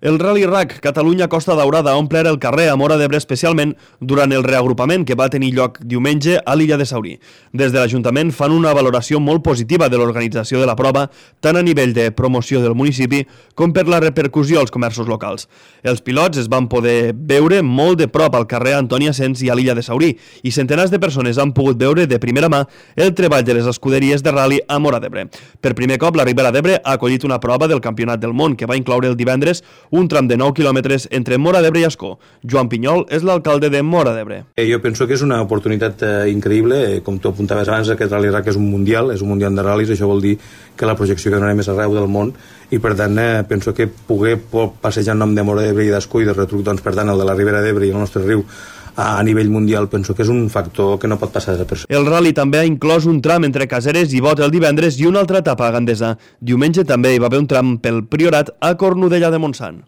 El Rally RAC Catalunya-Costa Daurada ha omplert el carrer a Móra d'Ebre especialment durant el reagrupament que va tenir lloc diumenge a l'illa de Saurí. Des de l'Ajuntament fan una valoració molt positiva de l'organització de la prova, tant a nivell de promoció del municipi com per la repercussió als comerços locals. Els pilots es van poder veure molt de prop al carrer Antoni Asens i a l'illa de Saurí i centenars de persones han pogut veure de primera mà el treball de les escuderies de rally a Móra d'Ebre. Per primer cop, la Ribera d'Ebre ha acollit una prova del Campionat del Món que va incloure el divendres un tram de 9 quilòmetres entre Móra d'Ebre i Ascó. Joan Pinyol és l'alcalde de Móra d'Ebre. Jo penso que és una oportunitat increïble. Com tu apuntaves abans, aquest Rally RAC és un mundial de ral·lis. Això vol dir que la projecció que donarem és arreu del món i, per tant, penso que poder passejar en nom de Móra d'Ebre i d'Ascó i de retruc, doncs, per tant, el de la Ribera d'Ebre i el nostre riu a nivell mundial, penso que és un factor que no pot passar desapercebut. El rally també ha inclòs un tram entre Caseres i Bot el divendres i una altra etapa a Gandesa. Diumenge també hi va haver un tram pel Priorat a Cornudella de Montsant.